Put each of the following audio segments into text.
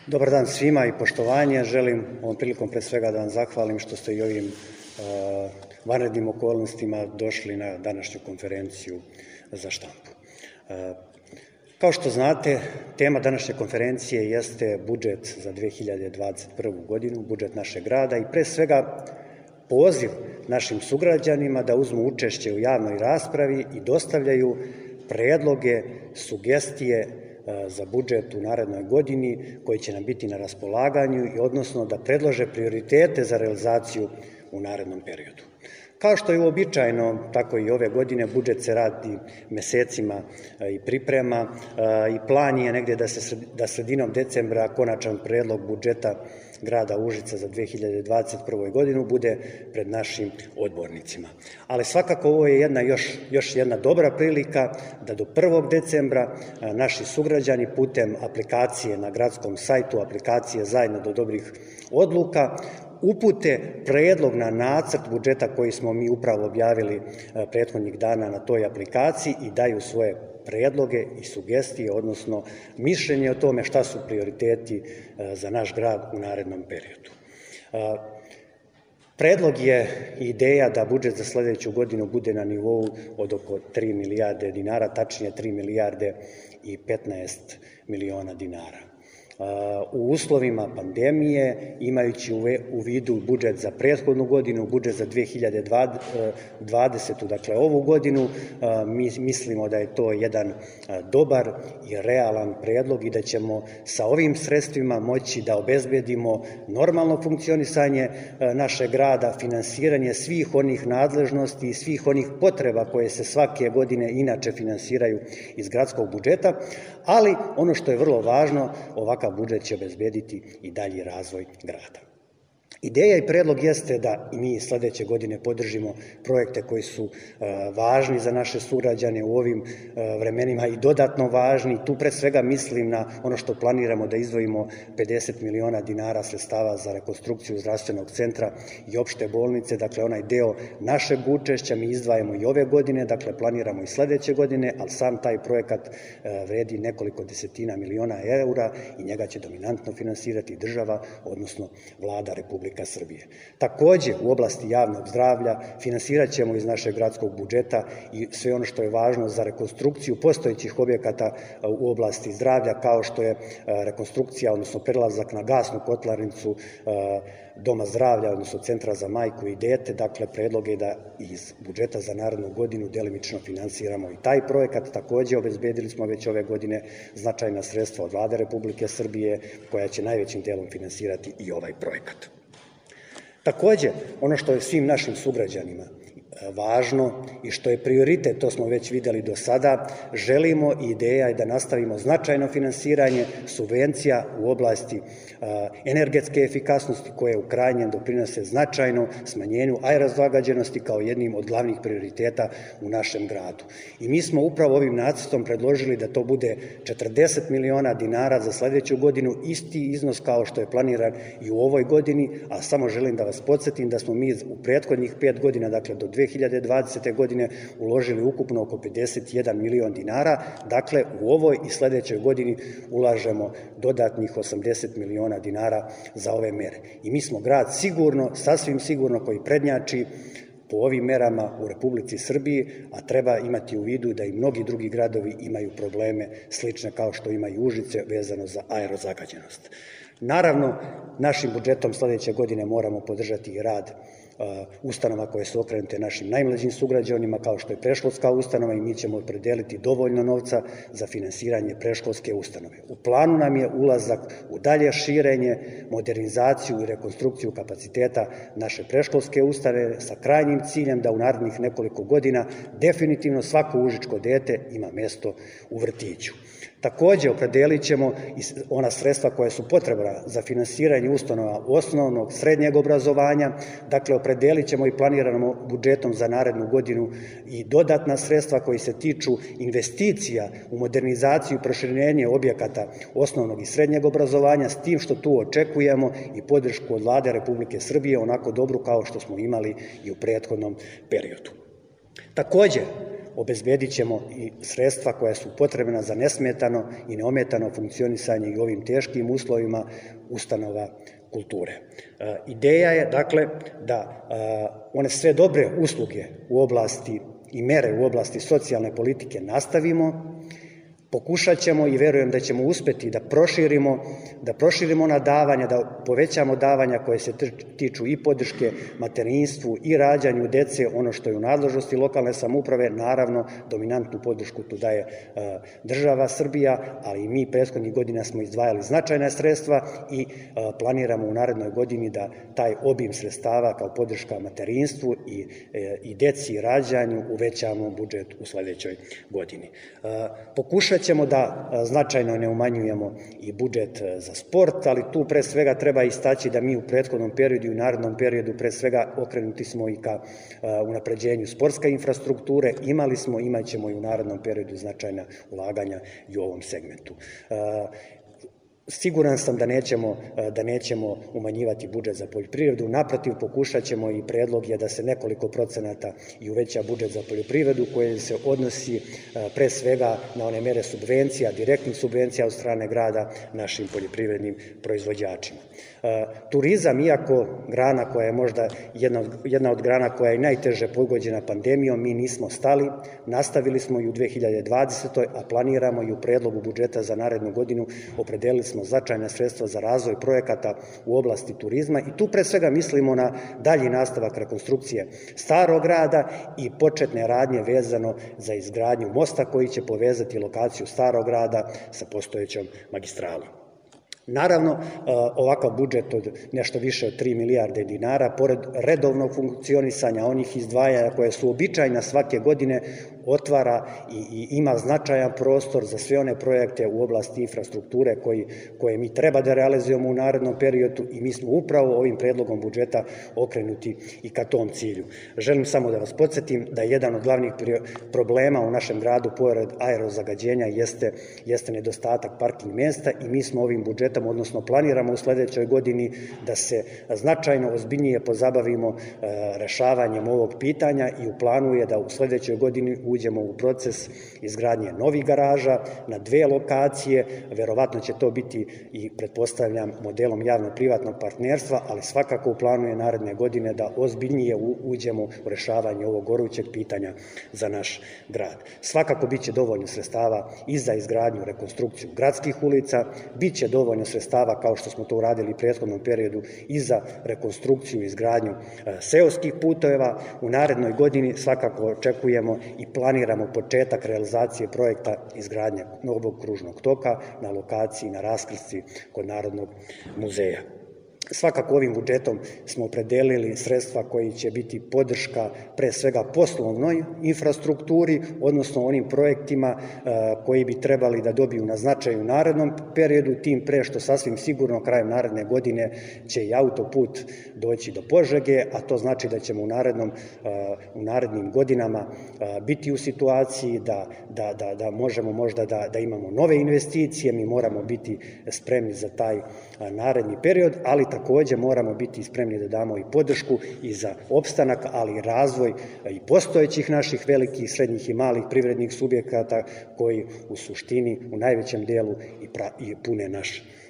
Dobar dan svima i poštovanje. Želim ovom prilikom pre svega da vam zahvalim što ste i ovim vanrednim okolnostima došli na današnju konferenciju za štampu. Kao što znate, tema današnje konferencije jeste budžet za 2021. godinu, budžet našeg grada i pre svega poziv našim sugrađanima da uzmu učešće u javnoj raspravi i dostavljaju predloge, sugestije za budžet u narednoj godini koji će nam biti na raspolaganju i odnosno da predlože prioritete za realizaciju u narednom periodu. Kao što je uobičajeno, tako i ove godine budžet se radi mesecima i priprema i plan je negde da sredinom decembra konačan predlog budžeta grada Užica za 2021. godinu bude pred našim odbornicima. Ali svakako ovo je još jedna dobra prilika da do 1. decembra naši sugrađani putem aplikacije na gradskom sajtu, aplikacije Zajedno do dobrih odluka, upute predlog na nacrt budžeta koji smo mi upravo objavili prethodnih dana na toj aplikaciji i daju svoje predloge i sugestije, odnosno mišljenje o tome šta su prioriteti za naš grad u narednom periodu. Predlog je ideja da budžet za sledeću godinu bude na nivou od oko 3 milijarde dinara, tačnije 3 milijarde i 15 miliona dinara. U uslovima pandemije, imajući u vidu budžet za prethodnu godinu, budžet za 2020. dakle ovu godinu, mi mislimo da je to jedan dobar i realan predlog i da ćemo sa ovim sredstvima moći da obezbedimo normalno funkcionisanje našeg grada, finansiranje svih onih nadležnosti i svih onih potreba koje se svake godine inače finansiraju iz gradskog budžeta, ali ono što je vrlo važno, ovakav budžet će obezbediti i dalji razvoj grada. Ideja i predlog jeste da i mi sledeće godine podržimo projekte koji su važni za naše sugrađane u ovim vremenima i dodatno važni. Tu pre svega mislim na ono što planiramo da izdvojimo 50 miliona dinara sredstava za rekonstrukciju zdravstvenog centra i opšte bolnice, dakle onaj deo našeg učešća mi izdvajamo i ove godine, dakle planiramo i sledeće godine, ali sam taj projekat vredi nekoliko desetina miliona eura i njega će dominantno finansirati država, odnosno Vlada Republike Srbije. Takođe, u oblasti javnog zdravlja finansirat ćemo iz našeg gradskog budžeta i sve ono što je važno za rekonstrukciju postojećih objekata u oblasti zdravlja, kao što je rekonstrukcija, odnosno prelazak na gasnu kotlarnicu Doma zdravlja, odnosno Centra za majku i dete. Dakle, predlog je da iz budžeta za narednu godinu delimično finansiramo i taj projekat. Takođe, obezbedili smo već ove godine značajna sredstva od Vlade Republike Srbije koja će najvećim delom finansirati i ovaj projekat. Takođe, ono što je svim našim sugrađanima važno i što je prioritet, to smo već videli do sada, želimo i ideja je da nastavimo značajno finansiranje subvencija u oblasti energetske efikasnosti koje u krajnjem doprinose značajno smanjenju aerozagađenosti kao jednim od glavnih prioriteta u našem gradu. I mi smo upravo ovim nacrtom predložili da to bude 40 miliona dinara za sledeću godinu, isti iznos kao što je planiran i u ovoj godini, a samo želim da vas podsjetim da smo mi u prethodnih 5 godina, dakle do 2020. godine uložili ukupno oko 51 milion dinara, dakle u ovoj i sledećoj godini ulažemo dodatnih 80 miliona dinara za ove mere. I mi smo grad sigurno, sasvim sigurno koji prednjači po ovim merama u Republici Srbiji, a treba imati u vidu da i mnogi drugi gradovi imaju probleme slične kao što ima i Užice vezano za aerozagađenost. Naravno, našim budžetom sledeće godine moramo podržati i rad ustanova koje su okrenute našim najmlađim sugrađanima, kao što je predškolska ustanova, i mi ćemo opredeliti dovoljno novca za finansiranje predškolske ustanove. U planu nam je ulazak u dalje širenje, modernizaciju i rekonstrukciju kapaciteta naše predškolske ustanove sa krajnjim ciljem da u narednih nekoliko godina definitivno svako užičko dete ima mesto u vrtiću. Takođe, opredelit ćemo i ona sredstva koja su potrebna za finansiranje ustanova osnovnog, srednjeg obrazovanja, dakle opredelit ćemo i planiramo budžetom za narednu godinu i dodatna sredstva koji se tiču investicija u modernizaciju i proširenje objekata osnovnog i srednjeg obrazovanja, s tim što tu očekujemo i podršku od Vlade Republike Srbije, onako dobru kao što smo imali i u prethodnom periodu. Takođe, obezbedit ćemo i sredstva koja su potrebna za nesmetano i neometano funkcionisanje i u ovim teškim uslovima ustanova kulture. Ideja je, dakle, da one sve dobre usluge u oblasti i mere u oblasti socijalne politike nastavimo, pokušat ćemo i verujem da ćemo uspeti da proširimo ona davanja, da povećamo davanja koje se tiču i podrške materinstvu i rađanju dece, ono što je u nadležnosti lokalne samouprave, naravno dominantnu podršku tu daje država Srbija, ali i mi prethodnih godina smo izdvajali značajna sredstva i planiramo u narednoj godini da taj obim sredstava kao podrška materinstvu i deci i rađanju uvećamo budžet u sledećoj godini. Pokušat ćemo da značajno ne umanjujemo i budžet za sport, ali tu pre svega treba istaći da mi u prethodnom periodu i u narednom periodu pre svega okrenuti smo i ka unapređenju sportske infrastrukture, imali smo, imat ćemo i u narednom periodu značajna ulaganja i u ovom segmentu. Siguran sam da nećemo umanjivati budžet za poljoprivredu, naprotiv pokušat ćemo i predlog je da se nekoliko procenata i uveća budžet za poljoprivredu koje se odnosi pre svega na one mere subvencija, direktnih subvencija od strane grada našim poljoprivrednim proizvođačima. Turizam, iako grana koja je možda jedna od grana koja je najteže pogođena pandemijom, mi nismo stali, nastavili smo i u 2020. a planiramo i u predlogu budžeta za narednu godinu opredelili smo značajna sredstva za razvoj projekata u oblasti turizma i tu pre svega mislimo na dalji nastavak rekonstrukcije Starog grada i početne radnje vezano za izgradnju mosta koji će povezati lokaciju Starog grada sa postojećom magistralom. Naravno, ovakav budžet od nešto više od 3 milijarde dinara, pored redovnog funkcionisanja onih izdvajanja koje su običajna svake godine, otvara i ima značajan prostor za sve one projekte u oblasti infrastrukture koje mi treba da realizujemo u narednom periodu i mi smo upravo ovim predlogom budžeta okrenuti i ka tom cilju. Želim samo da vas podsjetim da jedan od glavnih problema u našem gradu, pored aerozagađenja, jeste nedostatak parking mesta i mi smo ovim budžetom, odnosno planiramo u sledećoj godini da se značajno ozbiljnije pozabavimo rešavanjem ovog pitanja i u planu je da u sledećoj godini uđemo u proces izgradnje novih garaža na 2 lokacije, verovatno će to biti i pretpostavljam modelom javno-privatnog partnerstva, ali svakako u planu je naredne godine da ozbiljnije uđemo u rešavanje ovog gorućeg pitanja za naš grad. Svakako biće dovoljno sredstava i za izgradnju, rekonstrukciju gradskih ulica, biće dovoljno sredstava kao što smo to uradili u prethodnom periodu i za rekonstrukciju i izgradnju seoskih puteva. U narednoj godini svakako očekujemo i planiramo početak realizacije projekta izgradnje novog kružnog toka na lokaciji na raskrsci kod Narodnog muzeja. Svakako ovim budžetom smo opredelili sredstva koji će biti podrška pre svega poslovnoj infrastrukturi, odnosno onim projektima koji bi trebali da dobiju na značaju u narednom periodu, tim pre što sasvim sigurno krajem naredne godine će i autoput doći do Požege, a to znači da ćemo u narednim godinama biti u situaciji da možemo možda da imamo nove investicije, mi moramo biti spremni za taj naredni period, ali takođe moramo biti spremni da damo i podršku i za opstanak, ali i razvoj i postojećih naših velikih, srednjih i malih privrednih subjekata koji u suštini u najvećem delu i pune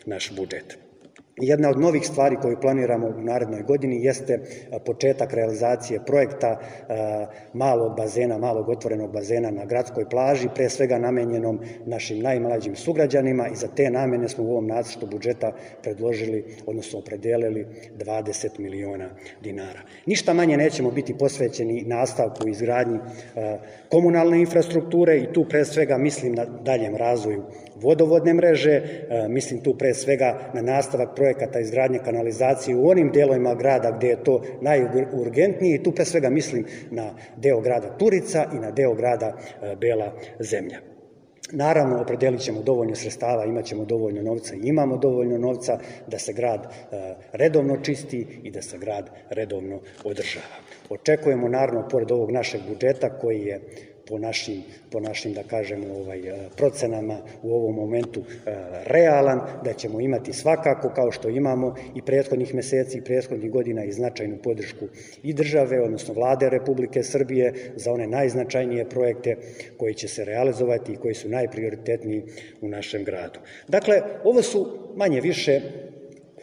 naš budžet. Jedna od novih stvari koju planiramo u narednoj godini jeste početak realizacije projekta malog bazena, malog otvorenog bazena na gradskoj plaži, pre svega namenjenom našim najmlađim sugrađanima i za te namene smo u ovom nacrtu budžeta predložili, odnosno opredelili 20 miliona dinara. Ništa manje nećemo biti posvećeni nastavku i izgradnji komunalne infrastrukture i tu pre svega mislim na daljem razvoju vodovodne mreže, mislim tu pre svega na nastavak projekata izgradnje kanalizacije u onim delovima grada gde je to najurgentnije i tu pre svega mislim na deo grada Turica i na deo grada Bela Zemlja. Naravno, opredelit ćemo dovoljno sredstava, imat ćemo dovoljno novca i imamo dovoljno novca da se grad redovno čisti i da se grad redovno održava. Očekujemo, naravno, pored ovog našeg budžeta koji je po našim da kažemo, procenama u ovom momentu realan, da ćemo imati svakako, kao što imamo i prethodnih meseci i prethodnih godina, i značajnu podršku i države, odnosno Vlade Republike Srbije za one najznačajnije projekte koji će se realizovati i koji su najprioritetniji u našem gradu. Dakle, ovo su manje više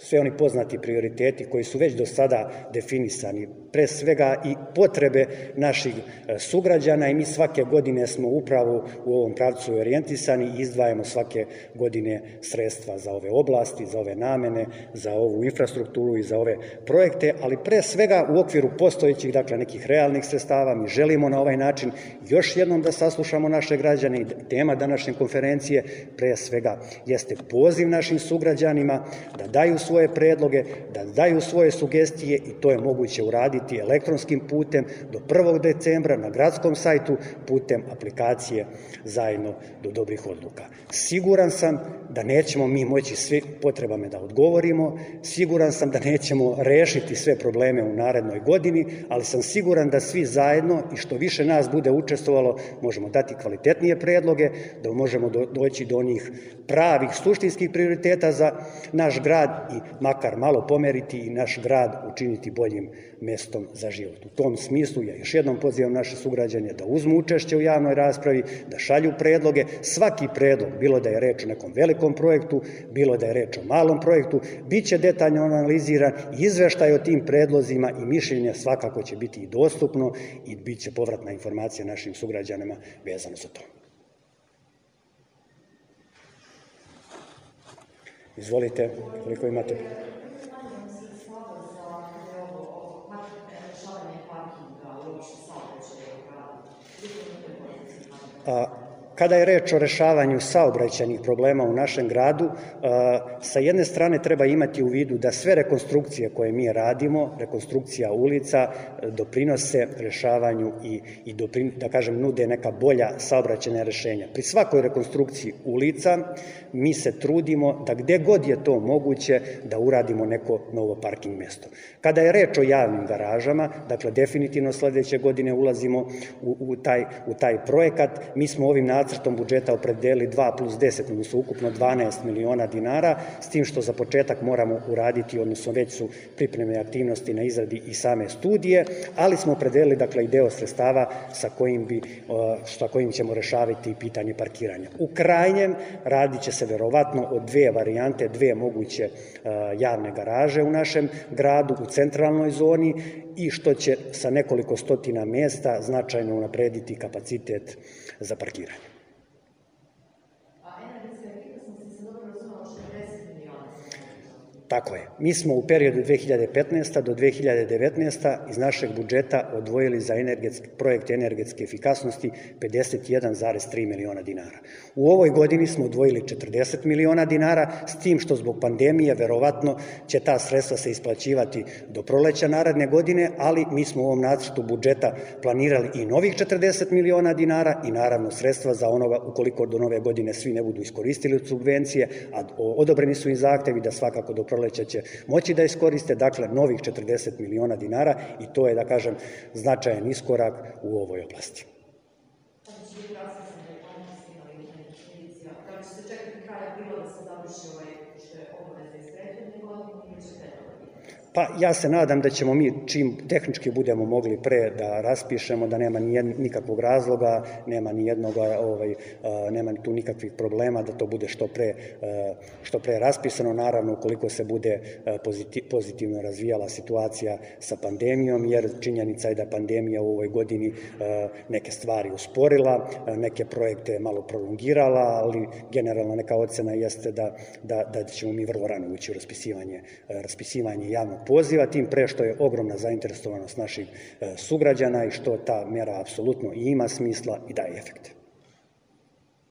sve oni poznati prioriteti koji su već do sada definisani, pre svega i potrebe naših sugrađana, i mi svake godine smo upravo u ovom pravcu orijentisani i izdvajamo svake godine sredstva za ove oblasti, za ove namene, za ovu infrastrukturu i za ove projekte, ali pre svega u okviru postojećih, dakle, nekih realnih sredstava. Mi želimo na ovaj način još jednom da saslušamo naše građane, i tema današnje konferencije pre svega jeste poziv našim sugrađanima da daju svoje predloge, da daju svoje sugestije, i to je moguće uraditi elektronskim putem do 1. decembra na gradskom sajtu putem aplikacije Zajedno do dobrih odluka. Siguran sam da nećemo mi moći svi potrebama da odgovorimo, siguran sam da nećemo rešiti sve probleme u narednoj godini, ali sam siguran da svi zajedno i što više nas bude učestvovalo možemo dati kvalitetnije predloge, da možemo doći do onih pravih suštinskih prioriteta za naš grad i makar malo pomeriti i naš grad učiniti boljim mestom za život. U tom smislu ja još jednom pozivam naše sugrađane da uzmu učešće u javnoj raspravi, da šalju predloge. Svaki predlog, bilo da je reč o nekom velikom projektu, bilo da je reč o malom projektu, biće detaljno analiziran i izveštaj o tim predlozima i mišljenja svakako će biti i dostupno i bit će povratna informacija našim sugrađanima vezano za to. Izvolite, koliko imate? Kada je reč o rešavanju saobraćajnih problema u našem gradu, sa jedne strane treba imati u vidu da sve rekonstrukcije koje mi radimo, rekonstrukcija ulica, doprinose rešavanju i da kažem nude neka bolja saobraćajna rešenja. Pri svakoj rekonstrukciji ulica mi se trudimo da gde god je to moguće da uradimo neko novo parking mesto. Kada je reč o javnim garažama, dakle definitivno sledeće godine ulazimo u taj projekat. Mi smo ovim nacrtom budžeta opredelili 2+10, odnosno ukupno 12 miliona dinara, s tim što za početak moramo uraditi, odnosno već su pripremne aktivnosti na izradi i same studije, ali smo opredelili, dakle, i deo sredstava sa kojim ćemo rešavati pitanje parkiranja. U krajnjem radit će se verovatno o dve varijante, dve moguće javne garaže u našem gradu, u centralnoj zoni, i što će sa nekoliko stotina mesta značajno unaprediti kapacitet za parkiranje. Tako je. Mi smo u periodu 2015. do 2019. iz našeg budžeta odvojili za projekte energetske efikasnosti 51,3 miliona dinara. U ovoj godini smo odvojili 40 miliona dinara, s tim što zbog pandemije verovatno će ta sredstva se isplaćivati do proleća naredne godine, ali mi smo u ovom nacrtu budžeta planirali i novih 40 miliona dinara i naravno sredstva za onoga ukoliko do nove godine svi ne budu iskoristili od subvencije, a odobreni su im zahtevi da svakako do proleća će moći da iskoriste, dakle, novih 40 miliona dinara, i to je, da kažem, značajan iskorak u ovoj oblasti. Pa ja se nadam da ćemo mi čim tehnički budemo mogli pre da raspišemo, da nema nikakvog razloga, nema tu nikakvih problema, da to bude što pre raspisano, naravno ukoliko se bude pozitivno razvijala situacija sa pandemijom, jer činjenica je da pandemija u ovoj godini neke stvari usporila, neke projekte malo prolongirala, ali generalno neka ocena jeste da ćemo mi vrlo rano ući u raspisivanje javnog poziva, tim pre što je ogromna zainteresovanost naših sugrađana i što ta mera apsolutno i ima smisla i daje efekte.